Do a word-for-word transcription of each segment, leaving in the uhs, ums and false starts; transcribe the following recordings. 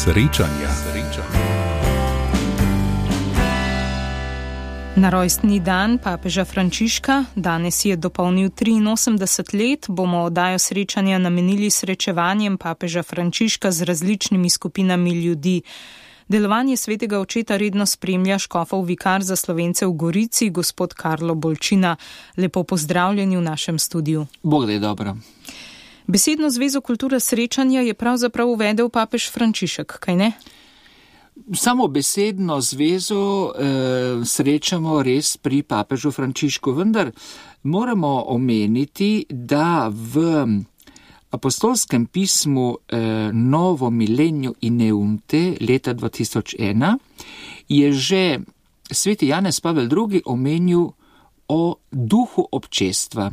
Srečanja. Na rojstni dan papeža Frančiška, danes je dopolnil triinosemdeset let, bomo oddajo srečanja namenili srečevanjem papeža Frančiška z različnimi skupinami ljudi. Delovanje svetega očeta redno spremlja škofov vikar za Slovence v Gorici, gospod Karlo Bolčina. Lepo pozdravljeni v našem studiu. Bog da je dobro. Besedno zvezo kulture srečanja je pravzaprav uvedel papež Frančišek, kaj ne? Samo besedno zvezo eh, srečamo res pri papežu Frančišku, vendar moramo omeniti, da v apostolskem pismu eh, Novo Milenio in Eunte leta dva tisoč ena je že sveti Janez Pavel drugi omenil o duhu občestva.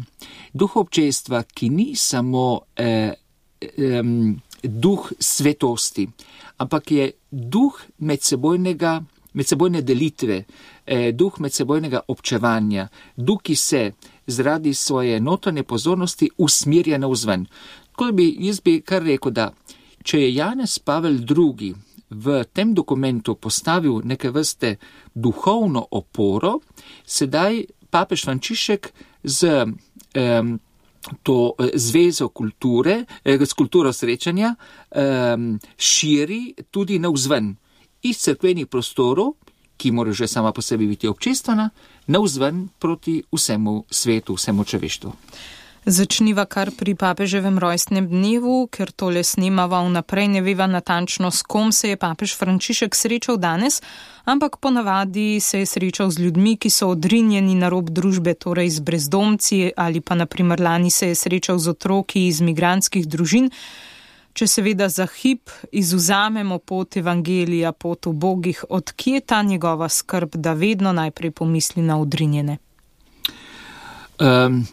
Duh občestva, ki ni samo eh, eh, duh svetosti, ampak je duh medsebojnega, medsebojne delitve, eh, duh medsebojnega občevanja, duh, ki se zaradi svoje notranje pozornosti usmirja navzven. Tako bi, jaz bi kar rekel, da če je Janez Pavel drugi v tem dokumentu postavil neke vrste duhovno oporo, sedaj papež Frančišek z um, to zvezo kulture, s kulturo srečanja, um, širi tudi navzven iz cerkvenih prostorov, ki mora že sama po sebi biti občestvena, navzven proti vsemu svetu, vsemu človeštvu. Začniva kar pri papeževem rojstnem dnevu, ker tole snemava vnaprej, ne veva natančno, s kom se je papež Frančišek srečal danes, ampak ponavadi se je srečal z ljudmi, ki so odrinjeni na rob družbe, torej z brezdomci, ali pa na primer lani se je srečal z otroki iz migrantskih družin. Če seveda za hip izvzamemo pot evangelija, pot ubogih, odkje ta njegova skrb, da vedno najprej pomisli na odrinjene? Um.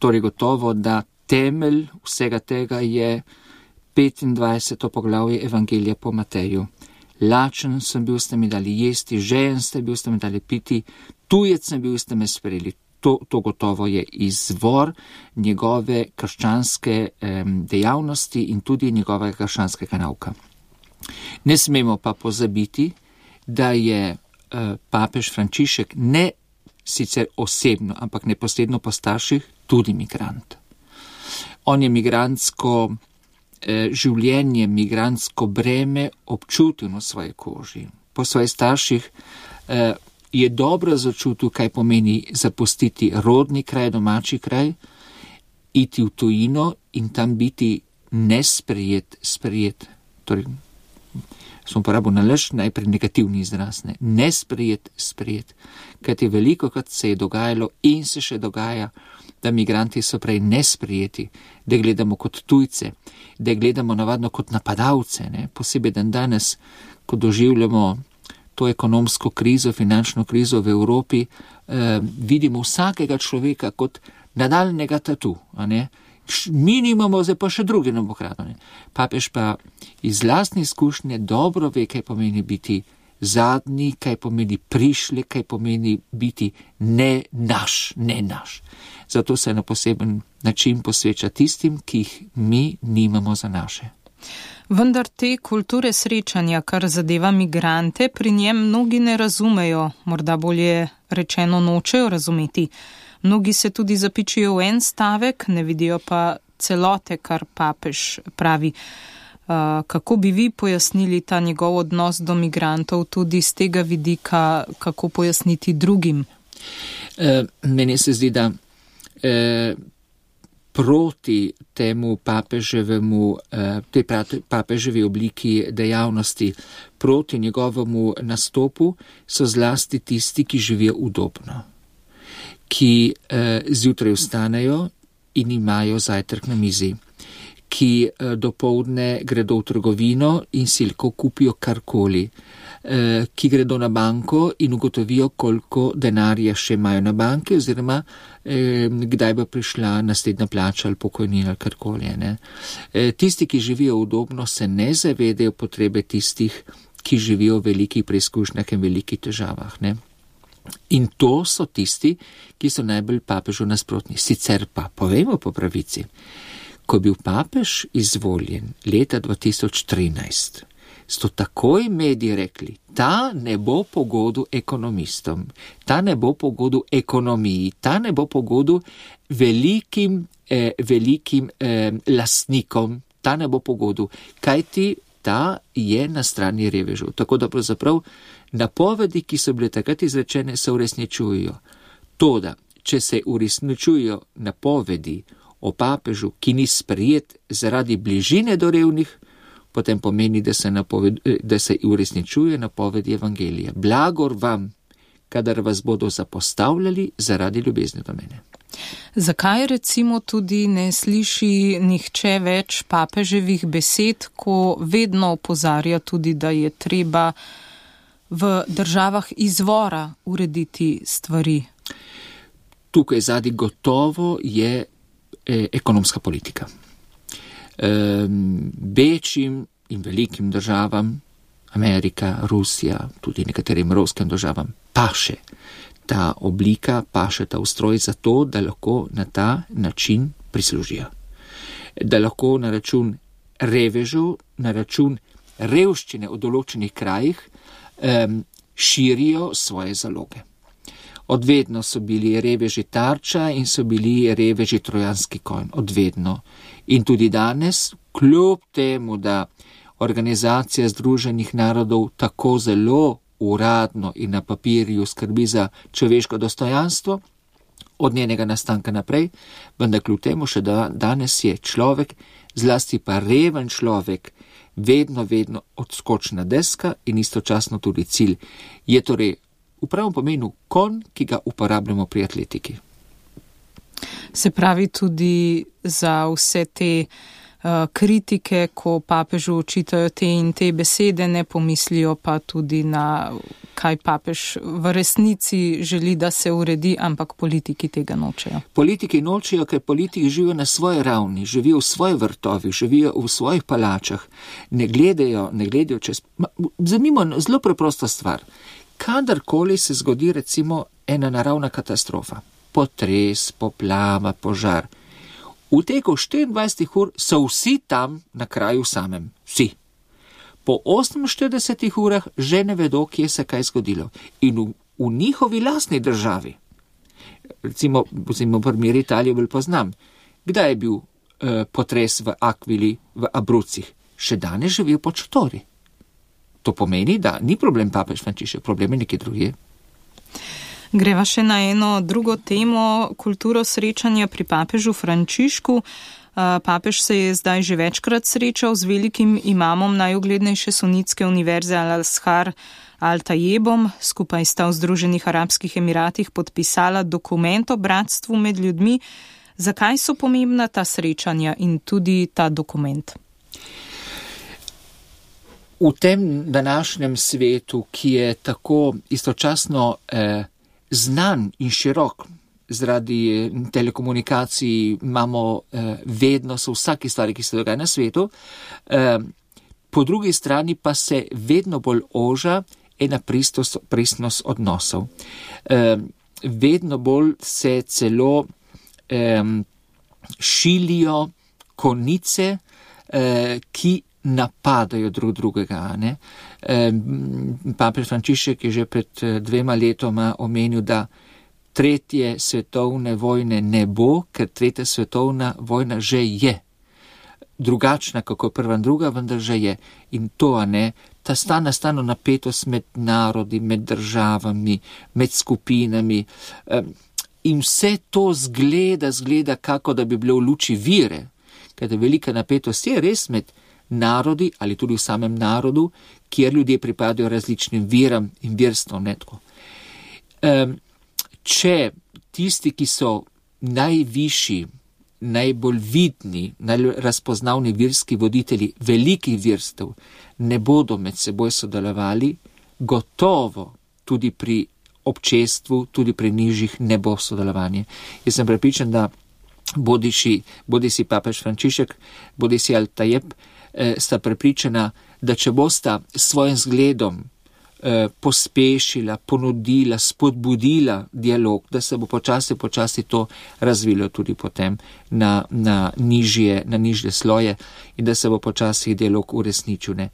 Torej gotovo, da temelj vsega tega je petindvajseto poglavje Evangelija po Mateju. Lačen sem bil, ste mi dali jesti, žejen ste bil, ste mi dali piti, tujec sem bil, ste me sprejeli. To, to gotovo je izvor njegove krščanske eh, dejavnosti in tudi njegovega krščanskega nauka. Ne smemo pa pozabiti, da je eh, papež Frančišek ne sicer osebno, ampak neposredno po starših tudi migrant. On je migrantsko eh, življenje, migrantsko breme občutil na svoji koži. Po svojih starših eh, je dobro začutil, kaj pomeni zapustiti rodni kraj, domači kraj, iti v tujino in tam biti nesprejet, sprejet. Torej, smo uporabil nalaž, najprej negativni izraz, ne, nesprejet, sprejet. Kajti veliko krat se je dogajalo in se še dogaja, da migranti so prej nesprijeti, da gledamo kot tujce, da gledamo navadno kot napadalce, ne, posebej dan danes, ko doživljamo to ekonomsko krizo, finančno krizo v Evropi, eh, vidimo vsakega človeka kot nadaljnega tatu, a ne, mi nimamo, zdaj pa še drugi nam bo kradno. Papež pa iz lastne izkušnje dobro ve, kaj pomeni biti zadnji, kaj pomeni prišli, kaj pomeni biti ne naš, ne naš. Zato se na poseben način posveča tistim, ki jih mi nimamo za naše. Vendar te kulture srečanja, kar zadeva migrante, pri njem mnogi ne razumejo, morda bolje rečeno nočejo razumeti. Mnogi se tudi zapičijo v en stavek, ne vidijo pa celote, kar papež pravi. Uh, kako bi vi pojasnili ta njegov odnos do migrantov tudi z tega vidika, kako pojasniti drugim? E, meni se zdi, da e, proti temu papeževemu, e, tej papeževi obliki dejavnosti, proti njegovemu nastopu so zlasti tisti, ki živijo udobno, ki eh, zjutraj vstanejo in imajo zajtrk na mizi, ki eh, dopoldne gredo v trgovino in si lahko kupijo karkoli, eh, ki gredo na banko in ugotovijo, koliko denarja še imajo na banki oziroma eh, kdaj bo prišla naslednja plača ali pokojnina ali karkoli. Ne? Eh, tisti, ki živijo udobno, se ne zavedajo potrebe tistih, ki živijo v velikih preizkušnjah in velikih težavah. Ne? In to so tisti, ki so najbolj papežu nasprotni. Sicer pa, povejmo po pravici, ko je bil papež izvoljen leta dva tisoč trinajst, so takoj mediji rekli, ta ne bo pogodu ekonomistom, ta ne bo pogodu ekonomiji, ta ne bo pogodu velikim, eh, velikim eh, lastnikom, ta ne bo pogodu, kajti ta je na strani revežev. Tako da pravzaprav napovedi, ki so bile takrat izrečene, se uresničujejo. Toda, če se uresničujejo napovedi o papežu, ki ni sprejet zaradi bližine do revnih, potem pomeni, da se, napoved, da se uresničuje napovedi evangelija. Blagor vam, kadar vas bodo zapostavljali zaradi ljubezni do mene. Zakaj recimo tudi ne sliši nihče več papeževih besed, ko vedno opozarja tudi, da je treba v državah izvora urediti stvari? Tukaj zadnji gotovo je eh, ekonomska politika. Večjim in velikim državam, Amerika, Rusija, tudi nekaterim evropskim državam, paše ta oblika, paše ta ustroj zato, da lahko na ta način prislužijo. Da lahko na račun revežev, na račun revščine v določenih krajih um, širijo svoje zaloge. Odvedno so bili reveži tarča in so bili reveži trojanski konj. Odvedno. In tudi danes, kljub temu, da Organizacija Združenih narodov tako zelo uradno in na papirju skrbi za človeško dostojanstvo, od njenega nastanka naprej, vendar kljub temu še da, danes je človek, zlasti pa reven človek, vedno, vedno odskočna deska in istočasno tudi cilj. Je torej v pravem pomenu konj, ki ga uporabljamo pri atletiki. Se pravi tudi za vse te uh, kritike, ko papežu očitajo te in te besede, ne pomislijo pa tudi na kaj papež v resnici želi, da se uredi, ampak politiki tega nočejo. Politiki nočejo, ker politiki živijo na svoji ravni, živijo v svojih vrtovih, živijo v svojih palačah, ne gledajo, ne gledajo čez... Zanimivo, zelo preprosta stvar. Kadarkoli se zgodi recimo ena naravna katastrofa, potres, poplava, požar, v teku štiriindvajsetih ur so vsi tam na kraju samem, vsi. Po oseminštiridesetih urah že ne vedo, kje se kaj zgodilo. In v, v njihovi lastni državi, recimo, recimo primer Italije bolj poznam, kdaj je bil eh, potres v Aquili, v Abruzzih, še danes živijo pod šotori. To pomeni, da ni problem papež Frančišek, problem je nekje drugje. Greva še na eno drugo temo, kulturo srečanja pri papežu Frančišku. Papež se je zdaj že večkrat srečal z velikim imamom najuglednejše sunitske univerze Al-Azhar Al-Tayebom. Skupaj sta v Združenih arabskih emiratih podpisala dokument o bratstvu med ljudmi. Zakaj so pomembna ta srečanja in tudi ta dokument? V tem današnjem svetu, ki je tako istočasno eh, znan in širok, zaradi telekomunikacij imamo eh, vedno so vsaki stvari, ki se dogaja na svetu, eh, po drugi strani pa se vedno bolj oža ena pristnost, pristnost odnosov. Eh, vedno bolj se celo eh, šilijo konice, eh, ki napadajo drug drugega. Ne? E, papež Frančišek je že pred dvema letoma omenil, da tretje svetovne vojne ne bo, ker tretja svetovna vojna že je. Drugačna, kako je prva in druga, vendar že je. In to, a ne, ta stana stano napetost med narodi, med državami, med skupinami. E, in vse to zgleda, zgleda, kako da bi bilo v luči vire. Ker velika napetost je res med narodi ali tudi v samem narodu, kjer ljudje pripadajo različnim viram in verstvom. Um, če tisti, ki so najvišji, najbolj vidni, najbolj razpoznavni verski voditelji velikih verstev, ne bodo med seboj sodelovali, gotovo tudi pri občestvu, tudi pri nižjih ne bo sodelovanje. Jaz sem prepričan, da bodi si papež Frančišek, bodi si Al-Tayeb, sta prepričana, da če bosta s svojim zgledom eh, pospešila, ponudila, spodbudila dialog, da se bo počasi, počasi to razvilo tudi potem na, na, nižje, na nižje sloje in da se bo počasi dialog uresničil. Ne.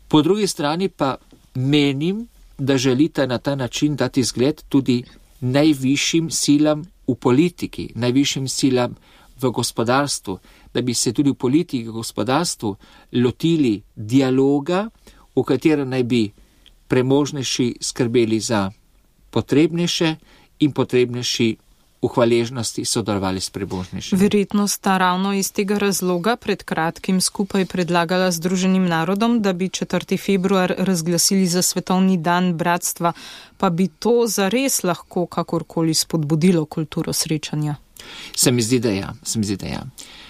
Po drugi strani pa menim, da želite na ta način dati zgled tudi najvišjim silam v politiki, najvišjim silam v gospodarstvu, da bi se tudi v politiki, v gospodarstvu lotili dialoga, v katerem naj bi premožnejši skrbeli za potrebnejše in potrebnejši v hvaležnosti sodelovali s premožnejšimi. Verjetno sta ravno iz tega razloga pred kratkim skupaj predlagala Združenim narodom, da bi četrtega februar razglasili za svetovni dan bratstva, pa bi to zares lahko kakorkoli spodbudilo kulturo srečanja. Se mi zdi, da ja. Se mi zdi, da ja.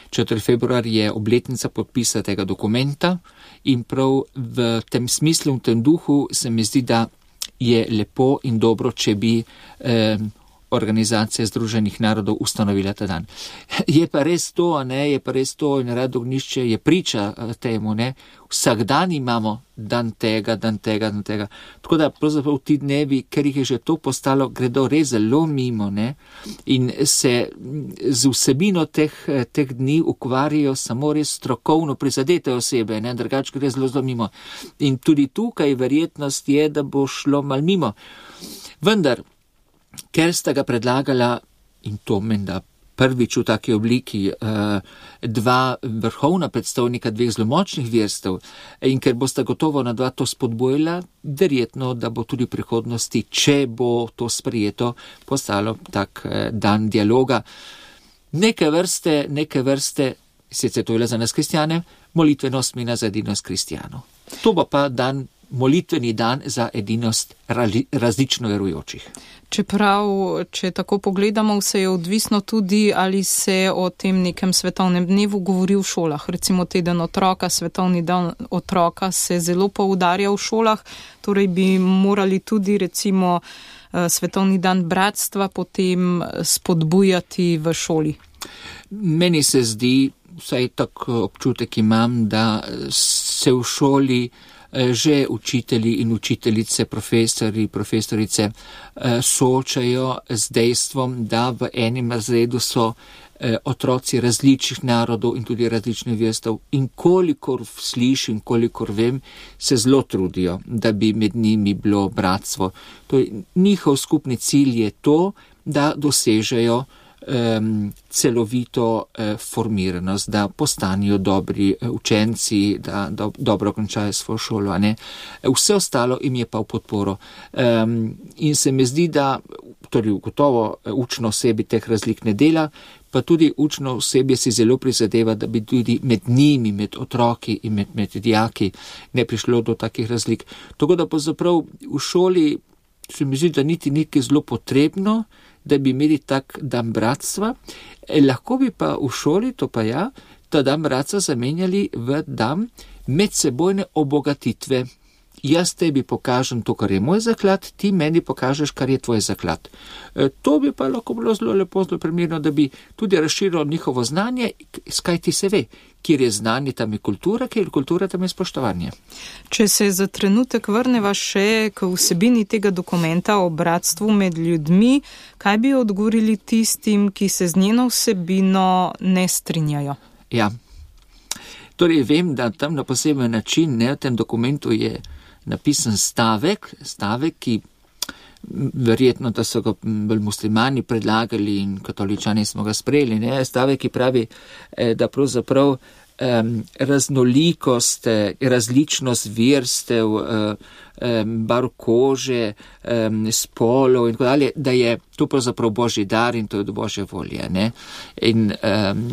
četrtega februar je obletnica podpisa tega dokumenta in prav v tem smislu, v tem duhu se mi zdi, da je lepo in dobro, če bi eh, Organizacija Združenih narodov ustanovila ta dan. Je pa res to, ne, je pa res to in Rad Ognjišče je priča temu, ne. Vsak dan imamo dan tega, dan tega, dan tega. Tako da pravzaprav ti dnevi, ker jih je že to postalo, gredo res zelo mimo, ne, in se z vsebino teh, teh dni ukvarjajo samo res strokovno prizadete osebe, ne, drugače gre zelo zelo mimo. In tudi tukaj verjetnost je, da bo šlo mal mimo. Vendar, ker sta ga predlagala, in to menda prvič v taki obliki, dva vrhovna predstavnika dveh zelo močnih verstev, in ker bosta gotovo na dva to spodbojila, verjetno, da bo tudi v prihodnosti, če bo to sprejeto, postalo tak dan dialoga. Neke vrste, neke vrste, sicer to je za nas kristjane, molitvenost mina za edinost kristjanov. To bo pa dan, molitveni dan za edinost različno verujočih. Čeprav, če tako pogledamo, vse je odvisno tudi, ali se o tem nekem svetovnem dnevu govori v šolah. Recimo teden otroka, svetovni dan otroka se zelo poudarja v šolah, torej bi morali tudi recimo svetovni dan bratstva potem spodbujati v šoli. Meni se zdi, vsaj tak občutek imam, da se v šoli že učitelji in učiteljice, profesori, profesorice soočajo z dejstvom, da v enem razredu so otroci različnih narodov in tudi različnih verstev in kolikor slišim, kolikor vem, se zelo trudijo, da bi med njimi bilo bratstvo. To je, njihov skupni cilj je to, da dosežejo Um, celovito uh, formiranost, da postanijo dobri uh, učenci, da do, dobro končajo svojo šolo. Ne? Vse ostalo jim je pa v podporo. Um, in se mi zdi, da torej gotovo učno osebi teh razlik ne dela, pa tudi učno osebje si zelo prizadeva, da bi tudi med njimi, med otroki in med, med dijaki ne prišlo do takih razlik. Tako da pa zaprav v šoli se mi zdi, da niti nekaj zelo potrebno, da bi imeli tak dan bratstva, e, lahko bi pa v šoli, to pa ja, ta dan bratstva zamenjali v dan medsebojne obogatitve. Jaz tebi pokažem to, kar je moj zaklad, ti meni pokažeš, kar je tvoj zaklad. E, to bi pa lahko bilo zelo lepo, zelo primerno, da bi tudi razširilo njihovo znanje, skaj ti se ve, kjer je znanje, tam je kultura, kjer je kultura, tam je spoštovanje. Če se za trenutek vrneva še k vsebini tega dokumenta o bratstvu med ljudmi, kaj bi odgovorili tistim, ki se z njeno vsebino ne strinjajo? Ja, torej vem, da tam na poseben način, ne, v tem dokumentu je napisan stavek, stavek, ki verjetno, da so ga bolj muslimani predlagali in katoličani smo ga sprejeli, ne, stavek, ki pravi, da pravzaprav um, raznolikost, različnost verstev, um, barv kože, um, spolov in tako dalje, da je to pravzaprav božji dar in to je od božje volje, ne. In um,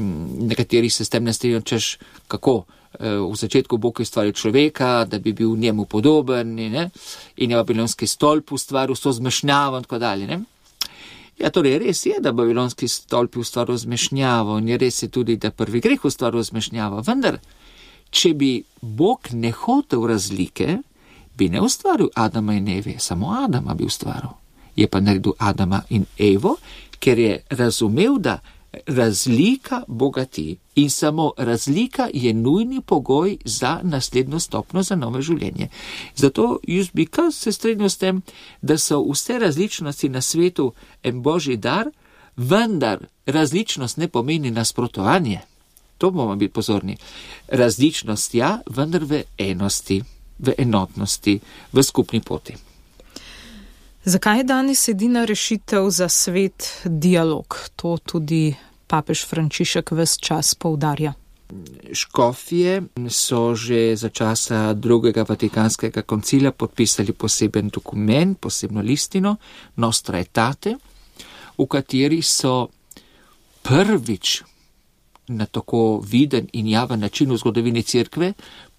nekateri se s tem ne strinjajo, češ kako. V začetku Bog je ustvaril človeka, da bi bil njemu podoben, ne? In je babilonski stolp ustvaril s to zmešnjavo in tako dalje. Ne? Ja, torej res je, da babilonski stolp je ustvaril zmešnjavo in je res je tudi, da prvi greh ustvaril zmešnjavo. Vendar, če bi Bog ne hotel razlike, bi ne ustvaril Adama in Eve, samo Adama bi ustvaril. Je pa naredil Adama in Evo, ker je razumel, da razlika bogati in samo razlika je nujni pogoj za naslednjo stopnjo, za novo življenje. Zato jaz bi kar se strinjal s tem, da so vse različnosti na svetu en božji dar, vendar različnost ne pomeni nasprotovanje. To bomo biti pozorni. Različnost ja, vendar v enosti. v enotnosti, v skupni poti. Zakaj je danes edina rešitev za svet dialog? To tudi papež Frančišek ves čas poudarja. Škofje so že za časa drugega Vatikanskega koncila podpisali poseben dokument, posebno listino Nostra Aetate, v kateri so prvič na tako viden in javen način v zgodovini cerkve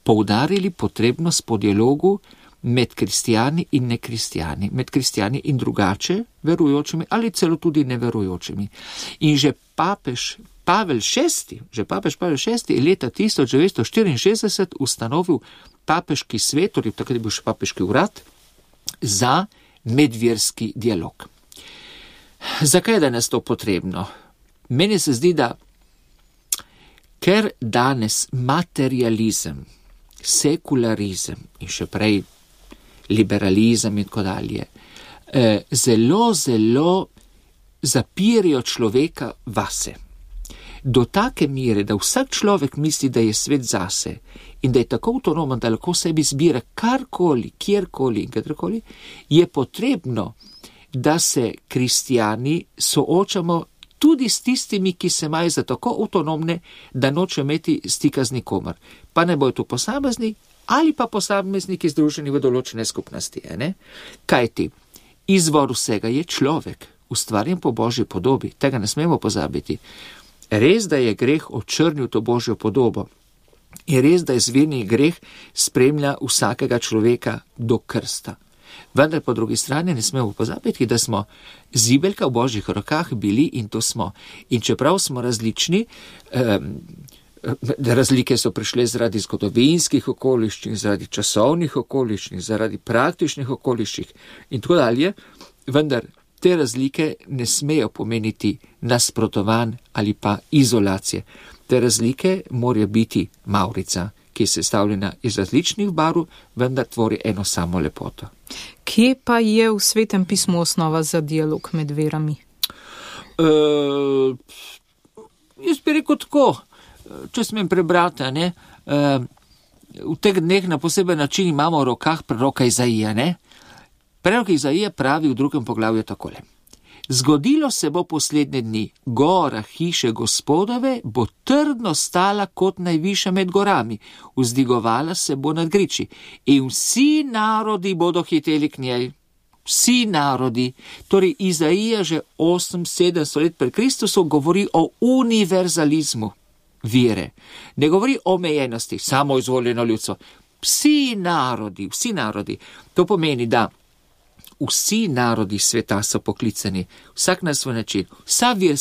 poudarili potrebnost po dialogu med kristijani in nekristijani, med kristijani in drugače verujočimi ali celo tudi neverujočimi. In že papež Pavel šesti, že papež Pavel šesti je leta tisoč devetsto štiriinšestdeset ustanovil papeški svet, torej takrat je bil še papeški urad, za medverski dialog. Zakaj je danes to potrebno? Meni se zdi, da ker danes materializem, sekularizem in še prej liberalizem in tako dalje, eh, zelo, zelo zapirajo človeka vase. Do take mere, da vsak človek misli, da je svet zase in da je tako avtonomen, da lahko sebi zbira karkoli, kjerkoli in katerkoli, je potrebno, da se kristijani soočamo tudi s tistimi, ki se imajo za tako avtonomne, da noče imeti stika z nikomer. Pa ne bojo tu posamezni ali pa posamezniki združeni v določene skupnosti. Ne? Kaj ti? Izvor vsega je človek, ustvarjen po Božji podobi. Tega ne smemo pozabiti. Res, da je greh očrnil to Božjo podobo. Je res, da izvirni greh spremlja vsakega človeka do krsta. Vendar po drugi strani ne smemo pozabiti, da smo zibelka v Božjih rokah bili in to smo. In čeprav smo različni, um, razlike so prišle zaradi zgodovinskih okoliščin, zaradi časovnih okoliščin, zaradi praktičnih okoliščin in tako dalje, vendar te razlike ne smejo pomeniti nasprotovanj ali pa izolacije. Te razlike morajo biti mavrica, ki je sestavljena iz različnih barv, vendar tvori eno samo lepoto. Kje pa je v Svetem pismu osnova za dialog med verami? Uh, jaz bi rekel tako, če smem prebrati, ne, uh, v teh dneh na poseben način imamo v rokah proroka Izaija, ne? Prorok Izaija pravi v drugem poglavju takole. Zgodilo se bo poslednje dni, gora hiše Gospodove bo trdno stala kot najvišja med gorami, vzdigovala se bo nad griči in vsi narodi bodo hiteli k njej. Vsi narodi, torej Izaija že osem sedemsto let pred Kristusom govori o univerzalizmu vere. Ne govori o omejenosti, samo izvoljeno ljudstvo. Vsi narodi, vsi narodi. To pomeni, da vsi narodi sveta so poklicani, vsak na svoj način, vsa vir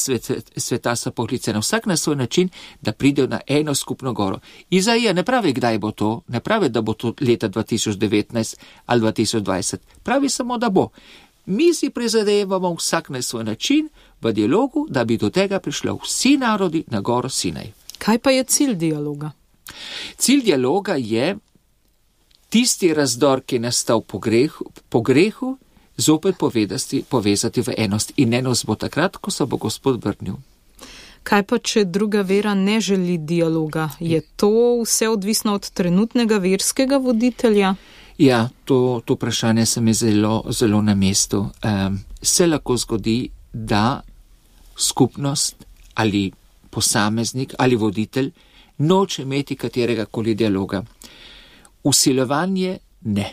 sveta so poklicani, vsak na svoj način, da pridejo na eno skupno goro. Izaija ne pravi, kdaj bo to, ne pravi, da bo to leta dva tisoč devetnajst ali dva tisoč dvajset, pravi samo, da bo. Mi si prizadevamo vsak na svoj način v dialogu, da bi do tega prišlo vsi narodi na goro Sinaj. Kaj pa je cilj dialoga? Cilj dialoga je tisti razdor, ki je nastal po grehu, po grehu zopet povedati, povezati v enost in enost bo takrat, ko se bo Gospod vrnil. Kaj pa, če druga vera ne želi dialoga? Je to vse odvisno od trenutnega verskega voditelja? Ja, to, to vprašanje se mi zelo, zelo na mestu. Um, se lahko zgodi, da skupnost ali posameznik ali voditelj noče imeti katerega koli dialoga. Usiljevanje ne,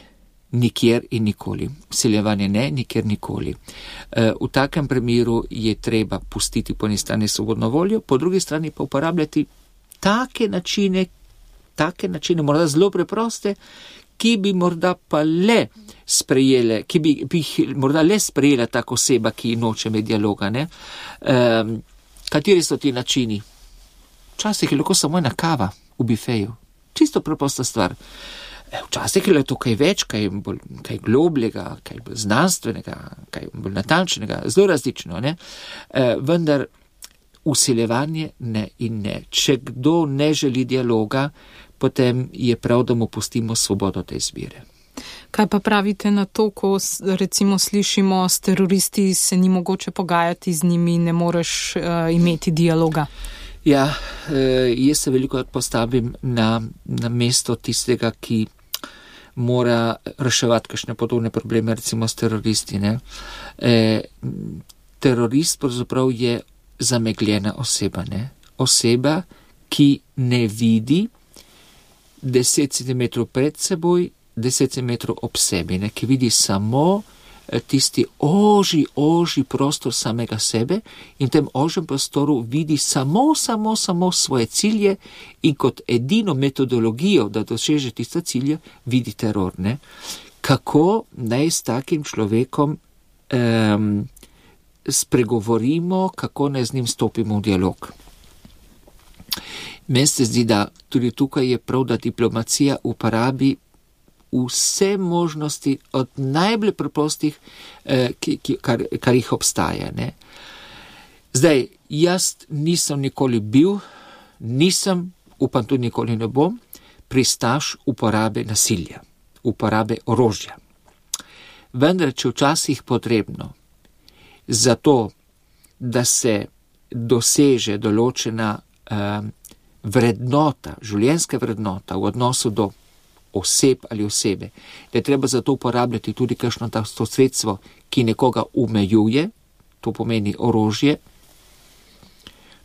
nikjer in nikoli. Usiljevanje ne, nikjer nikoli. E, v takem primeru je treba pustiti po eni strani svobodno voljo, po drugi strani pa uporabljati take načine, take načine, morda zelo preproste, ki bi morda pa le sprejele, ki bi, bi morda le sprejela tako oseba, ki noče med dialoga. Ne? E, kateri so ti načini? Včasih je lahko samo ena kava v bifeju. Čisto preprosta stvar. Včasih je to kaj več, kaj, bolj, kaj globljega, kaj bolj znanstvenega, kaj bolj natančnega, zelo različno. Ne? E, vendar usiljevanje ne in ne. Če kdo ne želi dialoga, potem je prav, da mu pustimo svobodo te izbire. Kaj pa pravite na to, ko recimo slišimo s teroristi, se ni mogoče pogajati z njimi, ne moreš uh, imeti dialoga? Ja, jaz se veliko postavim na, na mesto tistega, ki mora reševati kakšne podobne probleme, recimo s teroristi. Ne. E, terorist pravzaprav je zamegljena oseba, ne. Oseba, ki ne vidi deset centimetrov pred seboj, deset centimetrov ob sebi, ne, ki vidi samo tisti oži, oži prostor samega sebe in v tem ožjem prostoru vidi samo, samo, samo svoje cilje in kot edino metodologijo, da doseže tiste cilje, vidi teror. Ne. Kako naj s takim človekom um, spregovorimo, kako naj z njim stopimo v dialog. Meni se zdi, da tudi tukaj je prav, da diplomacija uporabi vse možnosti od najbolj preprostih, eh, ki, ki, kar, kar jih obstaja. Ne. Zdaj, jaz nisem nikoli bil, nisem, upam tudi nikoli ne bom, pristaš uporabe nasilja, uporabe orožja. Vendar, če včasih potrebno, zato, da se doseže določena eh, vrednota, življenjska vrednota v odnosu do oseb ali osebe, da je treba zato uporabljati tudi kakšno to sredstvo, ki nekoga omejuje, to pomeni orožje.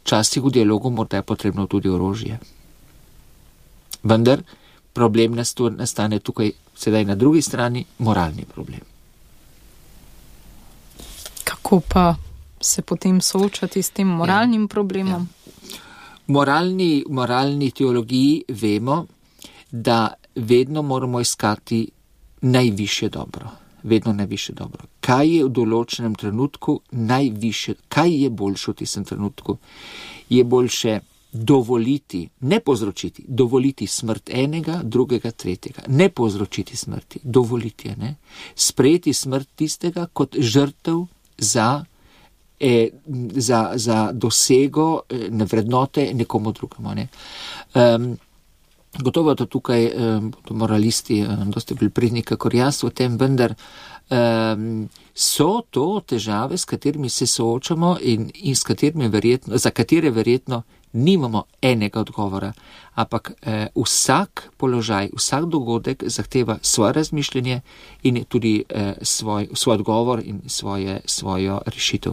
Včasih v dialogu morda je potrebno tudi orožje. Vendar problem nastane tukaj sedaj na drugi strani, moralni problem. Kako pa se potem soočati s tem moralnim ja, problemom? Ja. Moralni, moralni teologiji vemo, da vedno moramo iskati najvišje dobro. Vedno najvišje dobro. Kaj je v določenem trenutku najvišje, kaj je boljše v tistem trenutku? Je boljše dovoliti, ne povzročiti, dovoliti smrt enega, drugega, tretjega. Ne povzročiti smrti, dovoliti je, ne? Sprejeti smrt tistega kot žrtev za, eh, za, za dosego eh, vrednote nekomu drugemu, ne? Um, Gotovo to tukaj um, moralisti um, dosti bolj pridni, kakor jaz v tem, vendar um, so to težave, s katerimi se soočamo in, in s katerimi verjetno, za katere verjetno nimamo enega odgovora, ampak eh, vsak položaj, vsak dogodek zahteva svoje razmišljanje in tudi eh, svoj, svoj odgovor in svoje, svojo rešitev.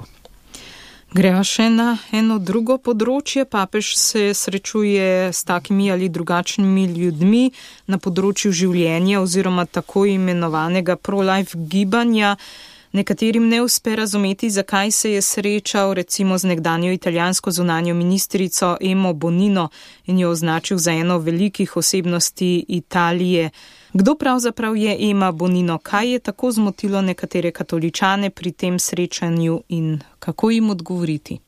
Greva še na eno drugo področje. Papež se srečuje s takimi ali drugačnimi ljudmi na področju življenja oziroma tako imenovanega pro-life gibanja. Nekaterim ne uspe razumeti, zakaj se je srečal recimo z nekdanjo italijansko zunanjo ministrico Emo Bonino in jo označil za eno velikih osebnosti Italije. Kdo pravzaprav je Ema Bonino? Kaj je tako zmotilo nekatere katoličane pri tem srečanju in kako jim odgovoriti?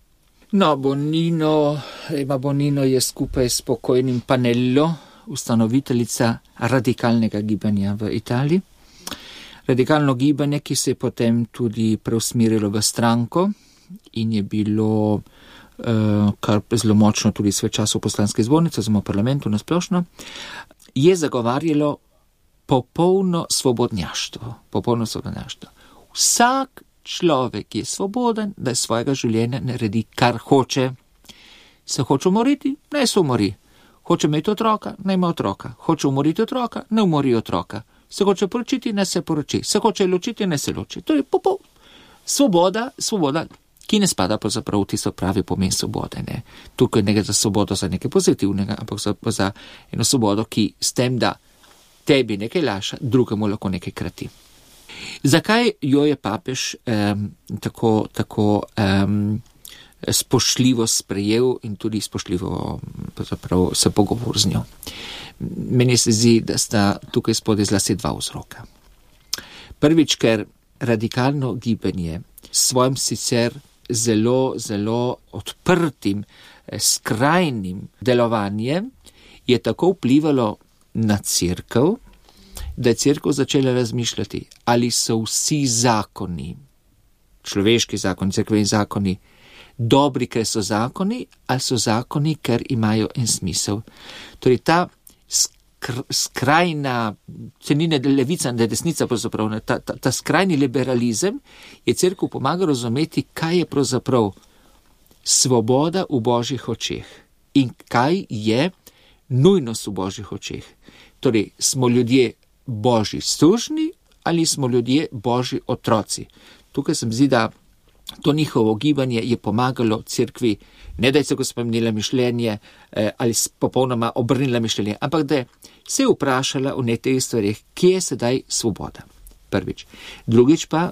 No, Bonino, Ema Bonino je skupaj s pokojnim Panello ustanoviteljica radikalnega gibanja v Italiji. Radikalno gibanje, ki se je potem tudi preusmerilo v stranko in je bilo uh, kar zelo močno tudi svoj čas v poslanski zbornici, oziroma v parlamentu nasplošno, je zagovarjalo popolno svobodnjaštvo. Popolno svobodnjaštvo. Vsak človek je svoboden, da iz svojega življenja naredi, kar hoče. Se hoče umoriti? Naj se umori. Hoče imeti otroka? Naj ima otroka. Hoče umoriti otroka? Ne umori otroka. Se hoče poročiti? Ne se poroči. Se hoče ločiti? Ne se loči. To je popol. Svoboda, svoboda, ki ne spada pravzaprav v tisto pravi pomen svobode. Ne. Tukaj ne gre za svobodo za nekaj pozitivnega, ampak za, za eno svobodo, ki s tem, da tebi nekaj laša, drugemu lahko nekaj krati. Zakaj jo je papež um, tako, tako um, spoštljivo sprejel in tudi spoštljivo se pogovor z njo? Meni se zdi, da sta tukaj spodaj zlasti dva vzroka. Prvič, ker radikalno gibanje s svojim sicer zelo, zelo odprtim, skrajnim delovanjem je tako vplivalo na cerkev, da je cerkev začela razmišljati, ali so vsi zakoni, človeški zakoni, cerkveni zakoni, dobri, ker so zakoni, ali so zakoni, ker imajo en smisel. Torej ta skr- skrajna, se ni ne levica, ne desnica, pravzaprav, ta, ta, ta skrajni liberalizem je cerkev pomagal razumeti, kaj je pravzaprav svoboda v božjih očeh in kaj je nujnost v božjih očeh. Torej, smo ljudje božji sužnji ali smo ljudje božji otroci. Tukaj se mi zdi, da to njihovo gibanje je pomagalo cerkvi, ne da je se go spremenila mišljenje eh, ali popolnoma obrnila mišljenje, ampak da je se vprašala v nekaj stvarih, kje je sedaj svoboda. Prvič. Drugič pa,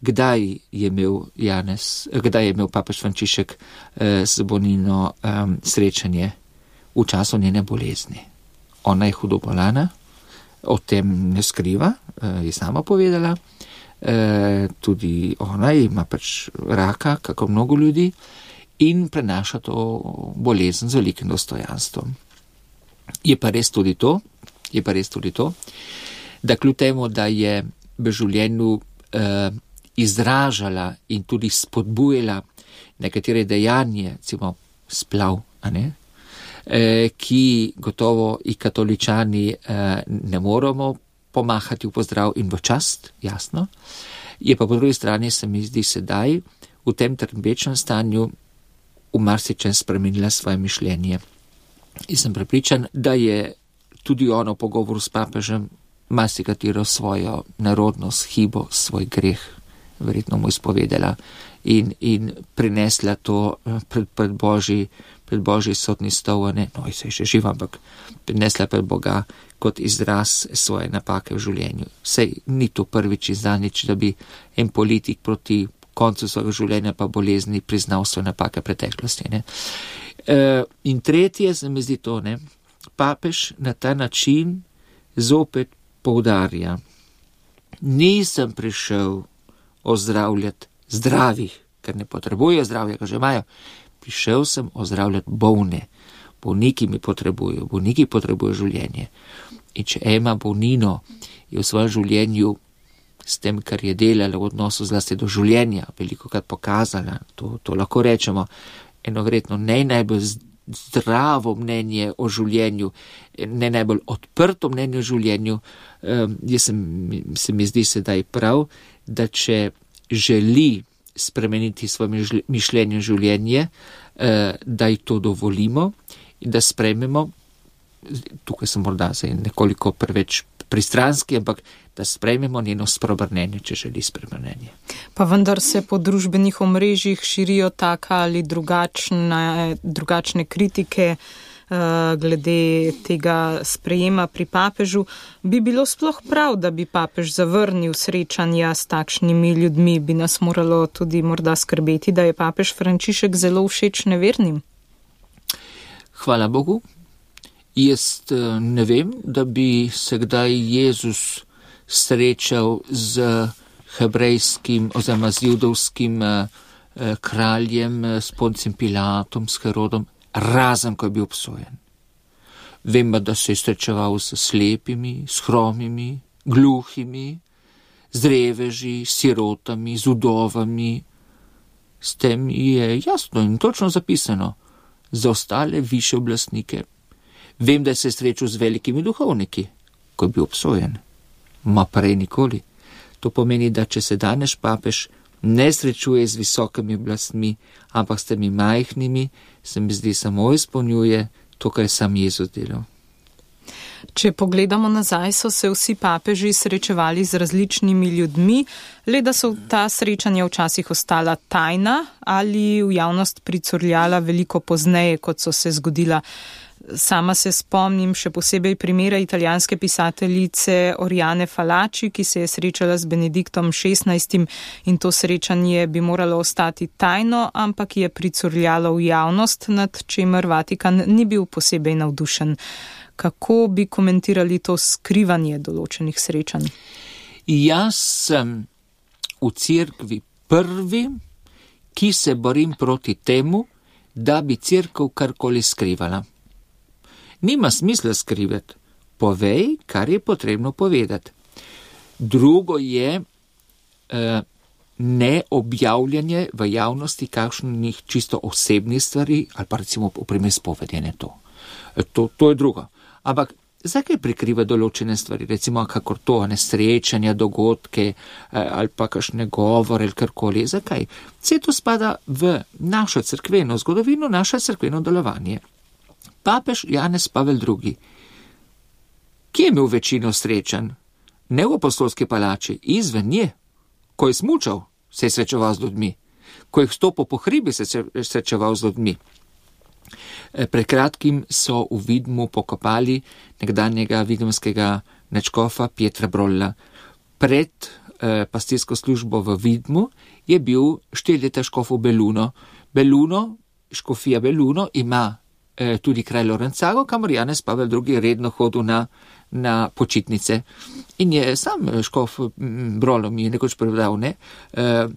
kdaj je imel Janez, kdaj je imel papež Frančišek eh, z Bonino eh, srečanje v času njene bolezni. Ona je hudo bolana, o tem ne skriva, eh, je sama povedala, eh, tudi ona ima pač raka, kako mnogo ljudi, in prenaša to bolezen z velikim dostojanstvom. Je pa res tudi to, je pa res tudi to, da kljub temu, da je v življenju eh, izražala in tudi spodbujala nekatere dejanje, recimo splav, a ne, eh, ki gotovo i katoličani eh, ne moramo pomahati v pozdrav in v čast, jasno, je pa po drugi strani se mi zdi sedaj v tem trpečem stanju v marsičem spremenila svoje mišljenje. In sem prepričan, da je tudi ono v pogovoru s papežem marsikatero svojo narodnost, hibo, svoj greh verjetno mu izpovedala in, in prinesla to pred, pred Božji, pred Božji sodni stol, ne, no, se je še živa, ampak prinesla pred Boga kot izraz svoje napake v življenju. Sej ni to prvič in zadnjič, da bi en politik proti koncu svojega življenja pa bolezni priznal svoje napake preteklosti. Ne. E, in tretje se mi zdi to, ne, papež na ta način zopet poudarja, nisem prišel ozdravljati zdravih, ker ne potrebujejo zdravja, ker že imajo. Prišel sem ozdravljati bolne. Bolniki mi potrebujejo, bolniki potrebujejo življenje. In če Ema Bonino je v svojem življenju s tem, kar je delala v odnosu zlasti do življenja, velikokrat pokazala, to, to lahko rečemo, eno verjetno ne najbolj zdravo mnenje o življenju, ne najbolj odprto mnenje o življenju, um, jaz sem, se mi zdi sedaj prav, da če želi spremeniti svoje mišljenje o življenje, uh, da ji to dovolimo in da sprejmemo, tukaj sem morda nekoliko preveč pristranski, ampak da sprejmemo njeno spreobrnenje, če želi spreobrnenje. Pa vendar se po družbenih omrežjih širijo taka ali drugačne, drugačne kritike uh, glede tega sprejema pri papežu. Bi bilo sploh prav, da bi papež zavrnil srečanja s takšnimi ljudmi? Bi nas moralo tudi morda skrbeti, da je papež Frančišek zelo všeč nevernim? Hvala Bogu. Jaz ne vem, da bi se kdaj Jezus srečal z hebrejskim oziroma z judovskim eh, kraljem, s Poncijem Pilatom, s Herodom, razen ko je bil obsojen. Vem, da se je srečeval s slepimi, s hromimi, gluhimi, z reveži, sirotami, z udovami. S tem je jasno in točno zapisano za ostale više oblastnike. Vem, da se je srečal z velikimi duhovniki, ko je bil obsojen. Ma prej nikoli. To pomeni, da če se danes papež ne srečuje z visokimi oblastmi, ampak s temi majhnimi, se mi zdi samo izpolnjuje to, kar je sam Jezus delal. Če pogledamo nazaj, so se vsi papeži srečevali z različnimi ljudmi, le da so ta srečanja včasih ostala tajna ali v javnost pricurljala veliko pozneje, kot so se zgodila. Sama se spomnim še posebej primera italijanske pisateljice Oriane Fallaci, ki se je srečala z Benediktom šestnajstim in to srečanje bi moralo ostati tajno, ampak je pricurljalo v javnost, nad čemer Vatikan ni bil posebej navdušen. Kako bi komentirali to skrivanje določenih srečanj? Jaz sem v cerkvi prvi, ki se borim proti temu, da bi cerkev karkoli skrivala. Nima smisla skrivati. Povej, kar je potrebno povedati. Drugo je eh, neobjavljanje v javnosti kakšnih čisto osebnih stvari, ali pa recimo v primer spovedjenje to. to. To je drugo. Ampak zakaj prikriva določene stvari, recimo kakor to, nesrečanja, dogodke eh, ali pa kakšne govore ali karkoli. Zakaj? Vse to spada v našo cerkveno zgodovino, naše cerkveno delovanje. Papež Janez Pavel drugi, ki je imel večino srečanj, ne v apostolski palači, izven nje, ko je smučal, se je srečeval z ljudmi, ko je stopil po hribi, se je srečeval z ljudmi. Pred kratkim so v Vidmu pokopali nekdanjega vidmskega nadškofa Pietra Brolla. Pred eh, pastirsko službo v Vidmu je bil štiri leta škof v Beluno. Beluno, škofija Beluno ima eh, tudi kraj Lorenzago, kamor Janez Pavel drugi redno hodil na, na počitnice. In je sam škof Brolo mi je nekoč prevedal, ne, eh,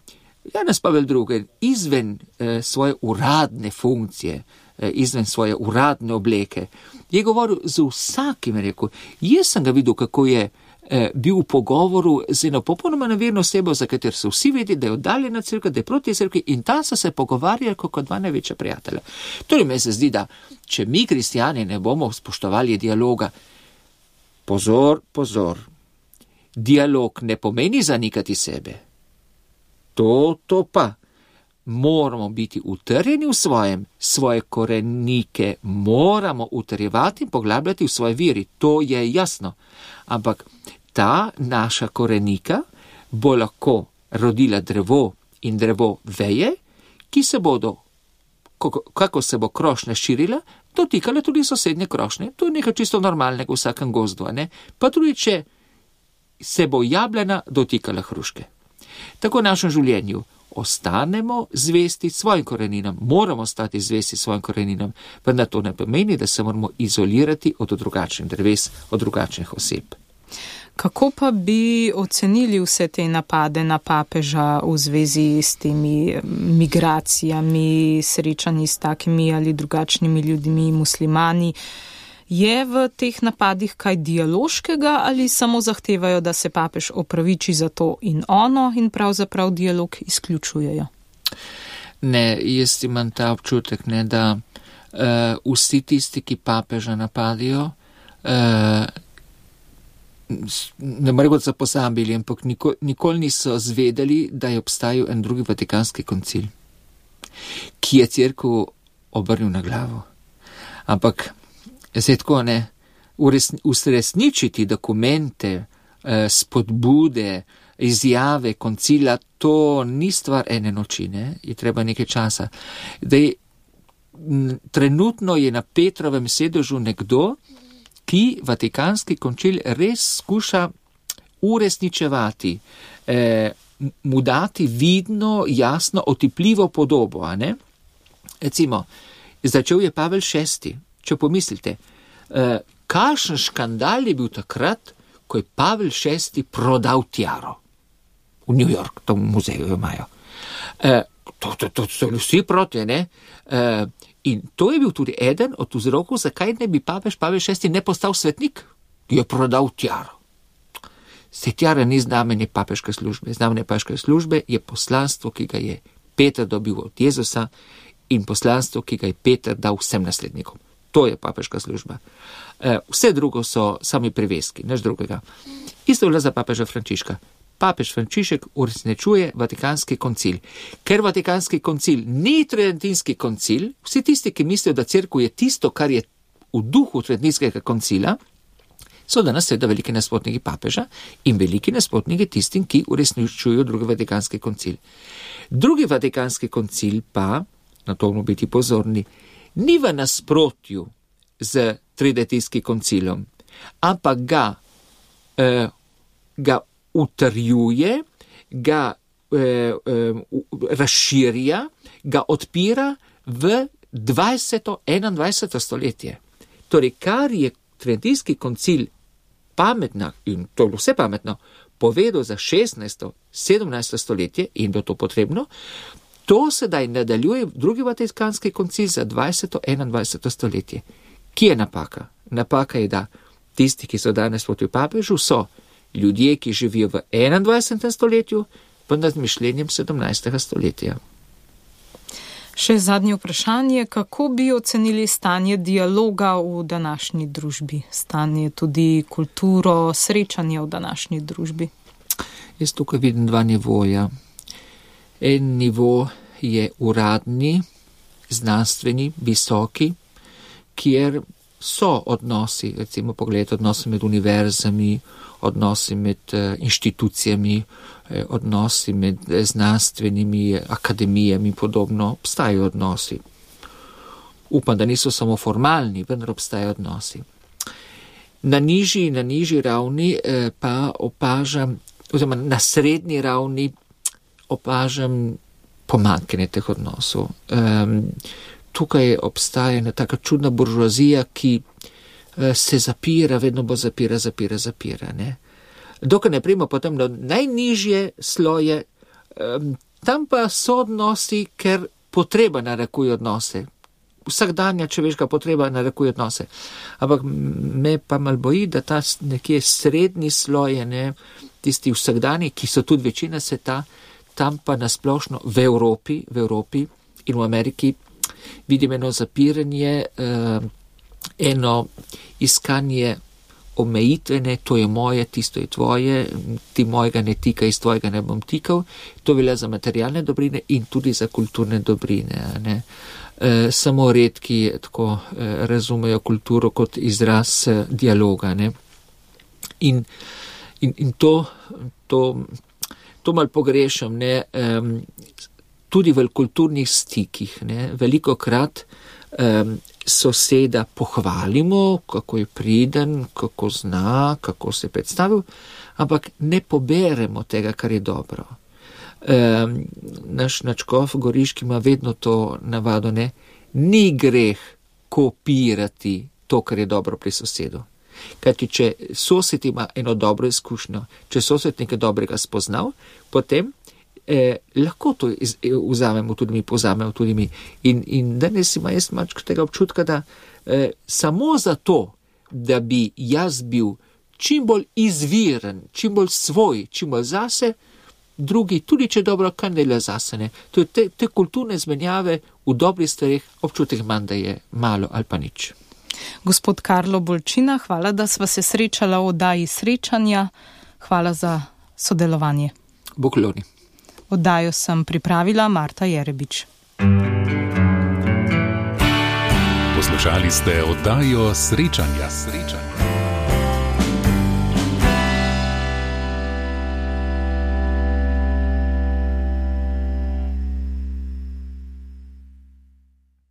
Janez Pavel drugi izven eh, svoje uradne funkcije, eh, izven svoje uradne obleke, je govoril z vsakim, rekel, jaz sem ga videl, kako je eh, bil v pogovoru z eno popolnoma neverno osebo, za katero so vsi vedeli, da je oddaljena crkva, da je proti crkvi, in tam so se pogovarjali kot dva največja prijatelja. Torej me se zdi, da če mi kristjani ne bomo spoštovali dialoga, pozor, pozor, dialog ne pomeni zanikati sebe. To, to pa. Moramo biti utrjeni v svojem, svoje korenike moramo utrjevati in poglabljati v svoje viri, to je jasno. Ampak ta naša korenika bo lahko rodila drevo in drevo veje, ki se bodo, kako se bo krošnja širila, dotikala tudi sosednje krošnje. To je nekaj čisto normalnega v vsakem gozdu, ne? Pa tudi, če se bo jablana dotikala hruške. Tako v našem življenju ostanemo zvesti svojim koreninam, moramo stati zvesti svojim koreninam, vendar to ne pomeni, da se moramo izolirati od drugačnih dreves, od drugačnih oseb. Kako pa bi ocenili vse te napade na papeža v zvezi s temi migracijami, srečanji s takimi ali drugačnimi ljudmi, muslimani? Je v teh napadih kaj dialoškega ali samo zahtevajo, da se papež opraviči za to in ono in pravzaprav dialog izključujejo? Ne, jaz imam ta občutek, ne, da uh, vsi tisti, ki papeža napadijo, uh, ne morejo se posambili, ampak nikoli, nikoli niso zvedeli, da je obstajal en drugi vatikanski koncil, ki je cerkev obrnil na glavo. Ampak zdaj tako, ne, uresničiti dokumente, spodbude, izjave koncila, to ni stvar ene noči, ne, je treba nekaj časa. Dej, trenutno je na Petrovem sedežu nekdo, ki vatikanski koncil res skuša uresničevati, eh, mu dati vidno, jasno, otipljivo podobo, a ne? Recimo, začel je Pavel šesti. Če pomislite, eh, kakšen škandal je bil takrat, ko je Pavel šesti prodal tiaro v New York, to v muzeju imajo. Eh, to, to, to so vsi proti, ne? Eh, in to je bil tudi eden od vzrokov, zakaj ne bi papež Pavel šesti ne postal svetnik, ki je prodal tiaro. Se tiara ni znamenje papeške službe. Znamenje papeške službe je poslanstvo, ki ga je Peter dobil od Jezusa, in poslanstvo, ki ga je Peter dal vsem naslednikom. To je papeška služba. Vse drugo so sami priveski, nič drugega. Isto velja za papeža Frančiška. Papež Frančišek uresničuje vatikanski koncil. Ker vatikanski koncil ni tridentinski koncil, vsi tisti, ki mislijo, da cerkev je tisto, kar je v duhu tridentinskega koncila, so danes seveda veliki nasprotniki papeža in veliki nasprotniki tistim, ki uresničujejo drugi vatikanski koncil. Drugi vatikanski koncil pa, na to moramo biti pozorni, ni v nasprotju z tridentinskim koncilom, ampak ga, eh, ga utrjuje, ga eh, eh, razširja, ga odpira v dvajseto, enaindvajseto stoletje. Torej, kar je tridentinski koncil pametno, in to je vse pametno, povedal za šestnajsto, sedemnajsto stoletje in bo to potrebno, to sedaj nadaljuje drugi vatikanski koncil za dvajseto, enaindvajseto stoletje. Kje je napaka? Napaka je, da tisti, ki so danes proti papežu, so ljudje, ki živijo v enaindvajsetem stoletju, pa nad mišljenjem sedemnajstega stoletja. Še zadnje vprašanje, kako bi ocenili stanje dialoga v današnji družbi, stanje tudi kulturo, srečanje v današnji družbi? Jaz tukaj vidim dva nivoja. En nivo je uradni, znanstveni, visoki, kjer so odnosi, recimo pogledajte odnosi med univerzami, odnosi med uh, inštitucijami, eh, odnosi med znanstvenimi akademijami, podobno, obstajajo odnosi. Upam, da niso samo formalni, vendar obstajajo odnosi. Na nižji, na nižji ravni eh, pa opažam, oziroma na srednji ravni opažam pomanjkanje teh odnosov. Um, tukaj obstaja ena taka čudna buržoazija, ki uh, se zapira, vedno bo zapira, zapira, zapira. Ne? Dokaj ne primo potem na najnižje sloje, um, tam pa so odnosi, ker potreba narekuje odnose. Vsakdanja človeška potreba narekuje odnose. Ampak me pa mal boji, da ta nekje srednji sloj, ne, tisti vsakdani, ki so tudi večina sveta, tam pa nasplošno v Evropi, v Evropi in v Ameriki vidim eno zapiranje, eh, eno iskanje omejitvene, to je moje, tisto je tvoje, ti mojega ne tika, iz tvojega ne bom tikal. To velja za materialne dobrine in tudi za kulturne dobrine. Ne. E, samo redki tako e, razumejo kulturo kot izraz e, dialoga. Ne. In, in, in to, to, to mal pogrešam, ne, e, tudi v kulturnih stikih. Ne, veliko krat e, soseda pohvalimo, kako je priden, kako zna, kako se predstavil, ampak ne poberemo tega, kar je dobro. Um, naš načkov Goriški ima vedno to navado, ne, ni greh kopirati to, kar je dobro pri sosedu. Kajti, če sosed ima eno dobro izkušnjo, če sosed nekaj dobrega spoznal, potem eh, lahko to iz, eh, vzamemo tudi mi, pozamemo tudi mi. In, in danes ima jaz mačko tega občutka, da eh, samo zato, da bi jaz bil čim bolj izviren, čim bolj svoj, čim bolj zase, drugi, tudi če dobro, kaj ne le zasene. To je te, te kulturne zmenjave v dobrih stvareh občutek manj, da je malo ali pa nič. Gospod Karlo Bolčina, hvala, da sva se srečala v oddaji Srečanja. Hvala za sodelovanje. Bogloni. Oddajo sem pripravila Marta Jerebič. Poslušali ste oddajo Srečanja. Srečanja.